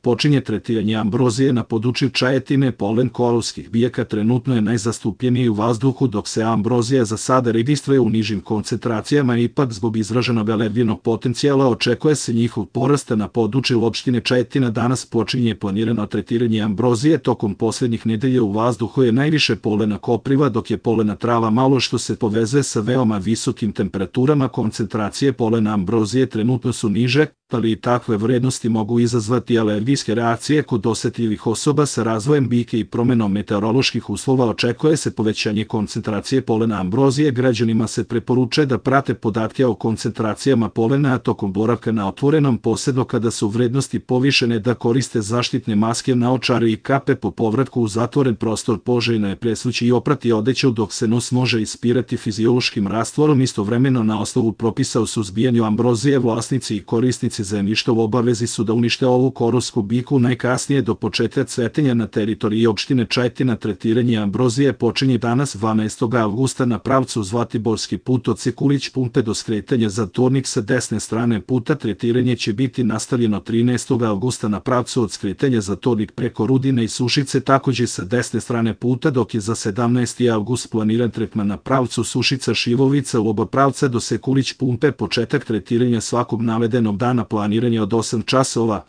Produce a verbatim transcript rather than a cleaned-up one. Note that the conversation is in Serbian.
počinje tretiranje ambrozije na području Čajetine. Polen korovskih biljaka trenutno je najzastupljeniji u vazduhu, dok se ambrozija za sada registruje u nižim koncentracijama. Ipak zbog izraženog alergenog potencijala očekuje se njihov porast na području opštine Čajetina. Danas počinje planirano tretiranje ambrozije. Tokom posljednjih nedelja u vazduhu je najviše polena kopriva, dok je polena trava malo, što se povezuje sa veoma visokim temperaturama. Koncentracije polena ambrozije trenutno su niže, ali i takve vrednosti mogu izazvati alergijske reakcije kod osetljivih osoba. Sa razvojem biljke i promenom meteoroloških uslova očekuje se povećanje koncentracije polena ambrozije. Građanima se preporučuje da prate podatke o koncentracijama polena tokom boravka na otvorenom, posebno kada su vrednosti povišene, da koriste zaštitne maske, naočare i kape po povratku u zatvoren prostor. Poželjno je presvući i oprati odeću dok se nos može ispirati fiziološkim rastvorom. Istovremeno, na osnovu propisa o suzbijanju ambrozije, vlasnici i korisnici zemljišta u obavezi su da unište ovu korovsku biljku najkasnije do početka cvetenja na teritoriji opštine Čajetina. Tretiranje ambrozije počinje danas dvanaestog avgusta na pravcu Zlatiborski put od Sekulić pumpe do skretanja Zatornik sa desne strane puta. Tretiranje će biti nastavljeno trinaestog avgusta na pravcu od skretanja Zatornik preko Rudine i Sušice, takođe sa desne strane puta, dok je za sedamnaesti avgust planiran tretman na pravcu Sušica Šivovica u oba pravca do Sekulić pumpe. Početak tretiranja svakog navedenog dana, planiranje od osam časova.